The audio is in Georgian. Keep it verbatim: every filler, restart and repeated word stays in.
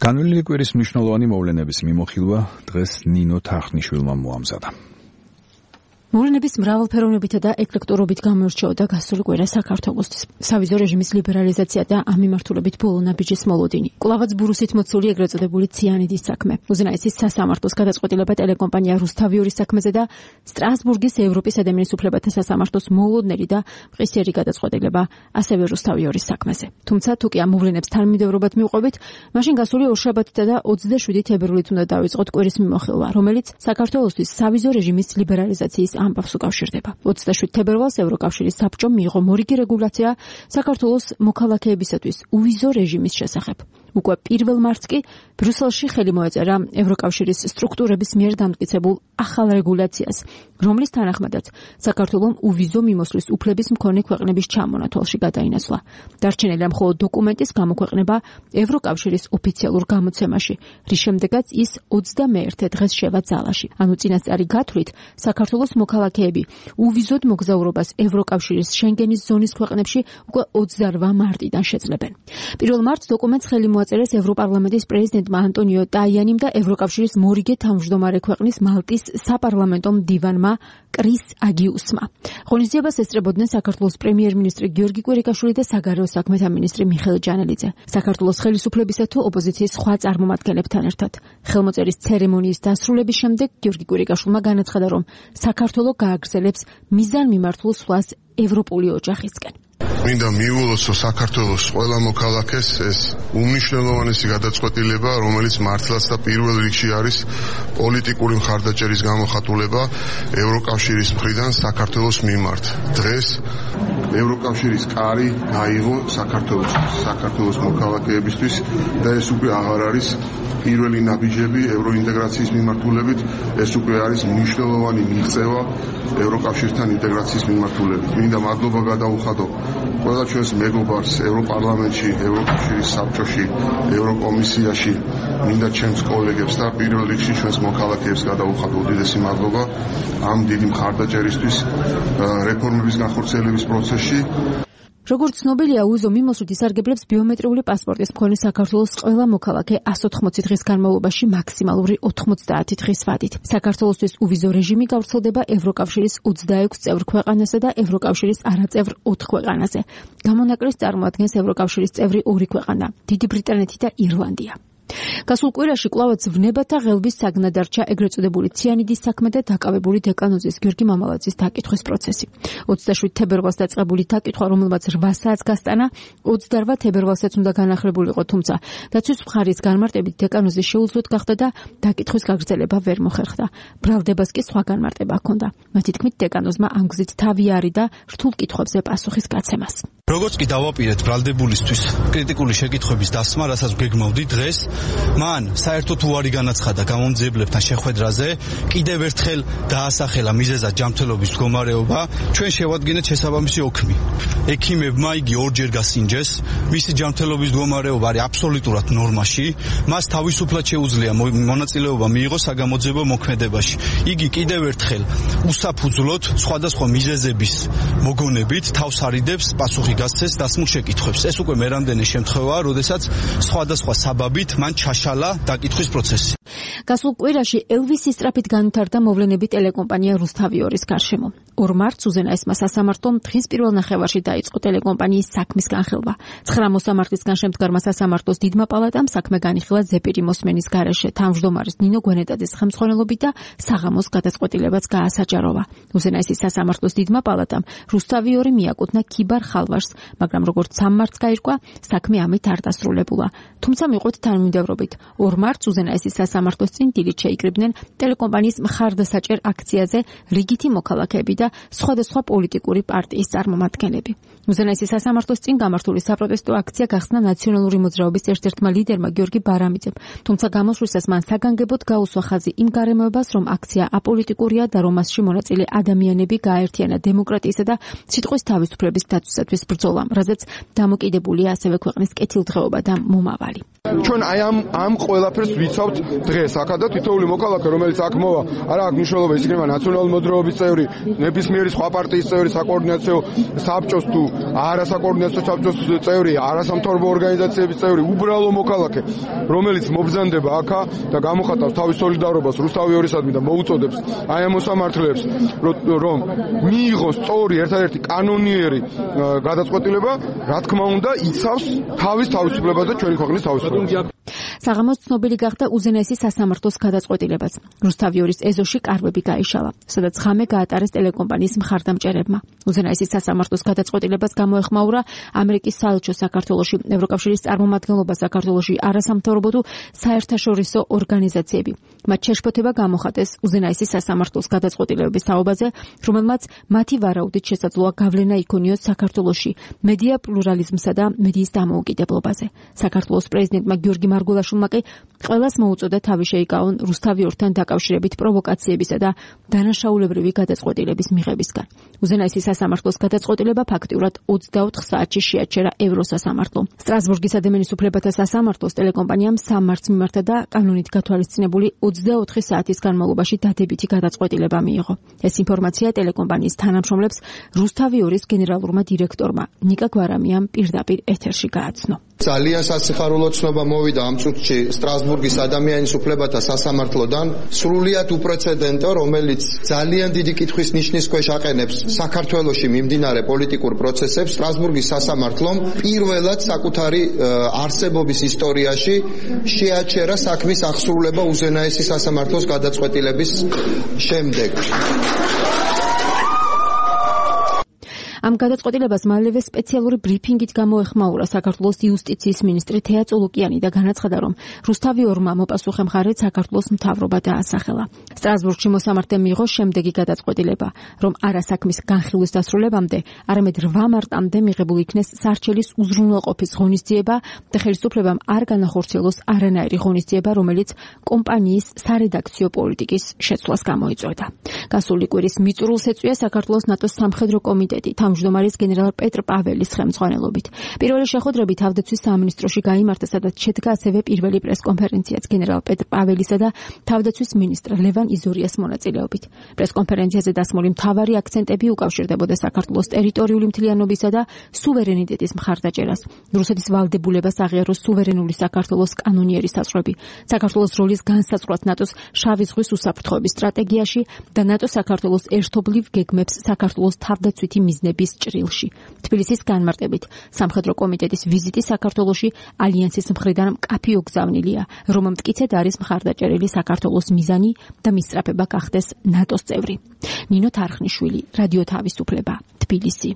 განვლილი კვირის მნიშვნელოვანი მოვლენების მიმოხილვა დღეს ნინო თახნიშვილმა მოამზადა. მოვლენების მრავალფეროვნებითა და ეკლექტურობით გამოირჩეოდა გასული კვირა საქართველოსთვის. სავიზო რეჟიმის ლიბერალიზაცია და ამ მიმართულებით ბოლო ნაბიჯის მოლოდინი. კვლავაც ბურუსით მოცული ეგრეთ წოდებული ციანიდის საქმე. უზენაესის სასამართლოს გადაწყვეტილება ტელეკომპანია რუსთავიორის საქმეზე და სტრასბურგის ევროპის ადამიანის უფლებათა სასამართლოს მოლოდნელი და მყისიერი გადაწყვეტილება ასევე რუსთავიორის საქმეზე. თუმცა თუ კი ამ მოვლენებს თანმიმდევრობად მივყვებით, მაშინ გასული ორშაბათითა და ოცდაშვიდი თებერვლით უნდა დავიწყოთ კვირის მიმოხილვა, რომელიც საქართველოსთვის სავიზო რეჟიმის ლიბერალიზაციის ამბავს უკავშირდება. ოცდაშვიდ თებერვალს ევროკავშირის საბჭომ მიიღო მორიგი რეგულაცია საქართველოს მოქალაქეებისათვის უვიზო რეჟიმის შესახებ. უკვე პირველ მარტს კი ბრიუსელში ხელი მოეწერა ევროკავშირის სტრუქტურების მიერ დამტკიცებულ ახალ რეგულაციას, რომლის თანახმადაც საქართველომ უვიზო მიმოსვლის უფლების მქონე ქვეყნების ჩამონათვალში გადაინაცვლა. დარჩენილია მხოლოდ დოკუმენტის გამოქვეყნება ევროკავშირის ოფიციალურ გამოცემაში, რის შემდეგაც ის ოცდამეერთე დღეს შევა ძალაში. ანუ წინასწარი გათვლით, საქართველოს მოქალაქეები უვიზოდ მოგზაურობას ევროკავშირის შენგენის ზონის ქვეყნებში უკვე ოცდარვა მარტიდან შეძლებენ. პირველ მარტს დოკუმენტს ხელი მოაწერეს ევროპარლამენტის პრეზიდენტმა ანტონიო ტაიანიმ და ევროკავშირის მორიგე თავმჯდომარე ქვეყნის მალტის საპარლამენტო მდივანმა კრის აგიუსმა. ღონისძიებას ესწრებოდნენ საქართველოს პრემიერ-მინისტრი გიორგი კვირიკაშვილი და საგარეო საქმეთა მინისტრი მიხეილ ჯანელიძე. საქართველოს ხელისუფლებისა თუ ოპოზიციის სხვა წარმომადგენლებთან ერთად. ხელმოწერის ცერემონიის დასრულების შემდეგ გიორგი კვირიკაშვილმა განაცხადა, რომ საქართველო გააგრძელებს მიზანმიმართულ სვლას ევროპული ოჯახისკენ. მინდა მიუვალოს საქართველოს ყველა მოქალაქეს ეს უმნიშვნელოვანესი გადაწყვეტილება, რომელიც მართლაც და პირველ რიგში არის პოლიტიკური მხარდაჭერის გამოხატულება ევროკავშირის მხრიდან საქართველოს მიმართ. დღეს ევროკავშირის კარი გაიღო საქართველოს საქართველოს მოქალაქეებისთვის და ეს უკვე აღარ არის პირველი ნაბიჯები ევროინტეგრაციის მიმართულებით, ეს უკვე არის მნიშვნელოვანი მიღწევა ევროკავშირთან ინტეგრაციის მიმართულებით. მინდა მადლობა გადაუხადო ყველა ჩვენს მეგობარს ევროპარლამენტში, ევროკავშირის საბჭოში, ევროკომისიაში, მინდა ჩემს კოლეგებს და პირველ რიგში ჩვენს მოქალაქეებს გადაუხადო უდიდესი მადლობა ამ დიდი მხარდაჭერისთვის რეფორმების განხორციელების პროცესში. როგორც ცნობილია, უვიზო მიმოსვლით ისარგებლებს ბიომეტრიული პასპორტის მქონე საქართველოს ყველა მოქალაქე ასოთხმოცი დღის განმავლობაში მაქსიმალური ოთხმოცდაათი დღის ვადით. საქართველოსთვის უვიზო რეჟიმი გავრცელდება ევროკავშირის ოცდაექვს წევრ ქვეყანასა და ევროკავშირის არაწევრ ოთხ ქვეყანაზე. გამონაკლისს წარმოადგენს ევროკავშირის წევრი ორი ქვეყანა, დიდი ბრიტანეთი და ირლანდია. გასულ კვირაში კვლავაც ვნებათა ღელვის საგნად დარჩა ეგრეთ წოდებული ციანიდის საქმე და დაკავებული დეკანოზის გიორგი მამალაძის დაკითხვის პროცესი. ოცდაშვიდ თებერვალს დაწყებული დაკითხვა, რომელმაც რვა საათს გასტანა, ოცდარვა თებერვალსაც უნდა განახლებულიყო, თუმცა დაცვის მხარის განმარტებით დეკანოზის შეუძლოდ გახდა და დაკითხვის გაგრძელება ვერ მოხერხდა. ბრალდებას კი სხვა განმარტება ჰქონდა. მათი თქმით, დეკანოზმა ამ გზით თავი არი და რთულ კითხვებზე პასუხის გაცემას. როგორც კი დავაპირეთ ბრალდებულისთვის კრიტიკული შეკითხვების დასმა, რასაც გეგმავდი დღეს, მან საერთოდ უარი განაცხადა გამომძიებლებთან შეხვედრაზე, კიდევ ერთხელ დაასახელა მიზეზად ჯანმრთელობის მდგომარეობა, ჩვენ შევადგენთ შესაბამისი ოქმი. ექიმებმა იგი ორჯერ გასინჯეს, მისი ჯანმრთელობის მდგომარეობა არის აბსოლუტურად ნორმაში, მას თავისუფლად შეუძლია მონაწილეობა მიიღოს საგამოძიებო მოქმედებაში. იგი კიდევ ერთხელ უსაფუძვლოდ სხვადასხვა მიზეზების მოგონებით თავს არიდებს პასუხი გასცეს დასმულ შეკითხვებს. ეს უკვე მერამდენი შემთხვევაა, როდესაც სხვადასხვა საბაბით მან ჩაშალა დაკითხვის პროცესი. გასულ კვირაში ელვისის სწრაფით განვითარდა მოვლენები ტელეკომპანია რუსთავიორის გარშემო. ორ მარტს უზენაესმა სასამართლომ დღის პირველ ნახევარში დაიწყო ტელეკომპანიის საქმის განხილვა. ცხრა მოსამართლისგან შემდგარმა სასამართლოს დიდმა პალატამ საქმე განიხილა ზეპირი მოსმენის გარეშე, თავმჯდომარის ნინო გვენეტაძის ხელმძღვანელობით და საღამოს გადაწყვეტილებაც გაასაჯაროვა. უზენაესის სასამართლოს დიდმა პალატამ რუსთავიორი მიაკუთვნა ქიბარ ხალვაშს, მაგრამ როგორც სამ მარტს გაირკვა, საქმე ამით არ დასრულებულა. თუმცა მიყვეთ თანმიმდევრობით. ორ მარტს უზენაესის სასამართლოს წინ დილით შეიკრიბნენ ტელეკომპანიის მხარდასაჭერ აქციაზე რიგითი მოქალაქეები და სხვადასხვა პოლიტიკური პარტიის წარმომადგენლები. უზენაესის სასამართლოს წინ გამართული საპროტესტო აქცია გახსნა ნაციონალური მოძრაობის ერთ-ერთმა ლიდერმა გიორგი ბარამიძემ, თუმცა გამოსვლისას მან საგანგებოდ გაუსვა ხაზი იმ გარემოებას, რომ აქცია აპოლიტიკურია და რომ მასში მონაწილე ადამიანები გააერთიანა დემოკრატიისა და სიტყვის თავისუფლების დაცვისათვის ბრძოლამ, რაზეც დამოკიდებულია ასევე ქვეყნის კეთილდღეობა და მომავალი. ჩვენ აი ამ ამ ყველაფერს ვიცავთ დღეს აქა და თითოეული მოქალაქე, რომელიც აქ მოვა, არა აქვს მნიშვნელობა ის იქნება ნაციონალური მოძრაობის წევრი, ნებისმიერი სხვა პარტიის წევრი, საკოორდინაციო საბჭოს თუ არასაკოორდინაციო საბჭოს წევრი, არასამთავრობო ორგანიზაციების წევრი, უბრალო მოქალაქე, რომელიც მობრძანდება აქა და გამოხატავს თავის სოლიდარობას რუსთავი ორისადმი და მოუწოდებს აი ამ მოსამართლეებს, რომ მიიღოს სწორი ერთადერთი კანონიერი გადაწყვეტილება, რა თქმა უნდა, იცავს თავის თავისუფლებას და ჩვენი ქვეყნის თავისუფლებას. საღამოს ცნობილი გახდა უზენაესი სასამართლოს გადაწყვეტილებაც. რუსთავი ორის ეზოში კარვები გაიშალა, სადაც ღამე გაატარეს ტელეკომპანიის მხარდამჭერებმა. უზენაესი სასამართლოს გადაწყვეტილებას გამოეხმაურა ამერიკის საელჩო საქართველოში, ევროკავშირის წარმომადგენლობა საქართველოში, არასამთავრობო თუ საერთაშორისო ორგანიზაციები. მათ შეშფოთება გამოხატეს უზენაესი სასამართლოს გადაწყვეტილებების თაობაზე, რომელმაც მათი ვარაუდით შესაძლოა გავლენა იქონიოს საქართველოში მედია პლურალიზმსა და მედიის დამოუკიდებლობაზე. საქართველოს პრეზიდენტმა გიორგი მარგულაშვილმა კი ყველას მოუწოდა თავი შეიკავონ რუსთავი ორთან დაკავშირებით პროვოკაციებისა და დანაშაულებრივი გადაწყვეტილების მიღებისგან. უზენაესი სასამართლოს გადაწყვეტილება ფაქტიურად ოცდაოთხ საათში შეაჩერა ევროსასამართლომ. სტრასბურგის ადამიანის უფლებათა სასამართლოს ტელეკომპანიამ სამმარტს მიმართა და კანონით გათვალისწინებული ოცდაოთხი საათის განმავლობაში დადებითი გადაწყვეტილება მიიღო. ეს ინფორმაცია ტელეკომპანიის თანამშრომლებს რუსთავი ორის გენერალურმა დირექტორმა ნიკა გვარამიამ პირდაპირ ეთერში გააცნო. ძალიან სასიხარულო ცნობა მოვიდა ამ წუთში სტრასბურგის ადამიანის უფლებათა სასამართლოდან, სრულიად უპრეცედენტო, რომელიც ძალიან დიდი კითხვის ნიშნის ქვეშ აყენებს საქართველოში მიმდინარე პოლიტიკურ პროცესებს. სტრასბურგის სასამართლომ პირველად საკუთარი არსებობის ისტორიაში შეაჩერა საქმის აღსრულება უზენაესი სასამართლოს გადაწყვეტილების შემდეგ. ამ გადაწყვეტილებას მალევე სპეციალური ბრიფინგით გამოეხმაურა საქართველოს იუსტიციის მინისტრი თეა წულუკიანი და განაცხადა, რომ რუსთავი ორმა მოპასუხე მხარედ საქართველოს მთავრობა დაასახელა. სტრასბურგში მოსამართლემ მიიღო შემდეგი გადაწყვეტილება, რომ არა საქმის განხილვის დასრულებამდე, არამედ რვა მარტამდე მიღებული იქნეს სარჩელის უზრუნველყოფის ღონისძიება და ხელისუფლებამ არ განახორციელოს არანაირი ღონისძიება, რომელიც კომპანიის სარედაქციო პოლიტიკის შეცვლას გამოიწვევდა. გასული კვირის მიწურულს ეწვია საქართველოს ნატოს სამხედრო კომიტეტი თავმჯდომარის გენერალ პეტრ პაველის ხელმძღვანელობით. პირველი შეხვედრები თავდაცვის სამინისტროში გაიმართა, სადაც შედგა ასევე პირველი პრესკონფერენციაც გენერალ პეტრ პაველისა და თავდაცვის მინისტრ ლევან იზორიას მონაწილეობით. პრესკონფერენციაზე დასმული მთავარი აქცენტები უკავშირდებოდა საქართველოს ტერიტორიული მთლიანობისა და სუვერენიტეტის მხარდაჭერას, რუსეთის ვალდებულებას აღიაროს სუვერენული საქართველოს კანონიერი საზღვრები, საქართველოს როლის განსაზღვრას ნატოს შავი ზღვის უსაფრთხოების სტრატეგიაში და ნატო საქართველოს ერთობლივ გეგმებს საქართველოს თავდაცვითი მიზნების ჭრილში. თბილისის განმარტებით, სამხედრო კომიტეტის ვიზიტი საქართველოში ალიანსის მხრიდან მკაფიო გზავნილია, რომ მტკიცედ არის მხარდაჭერილი საქართველოს მიზანი და მისწრაფება გახდეს ნატოს წევრი. ნინო თარხნიშვილი, რადიო თავისუფლება, თბილისი.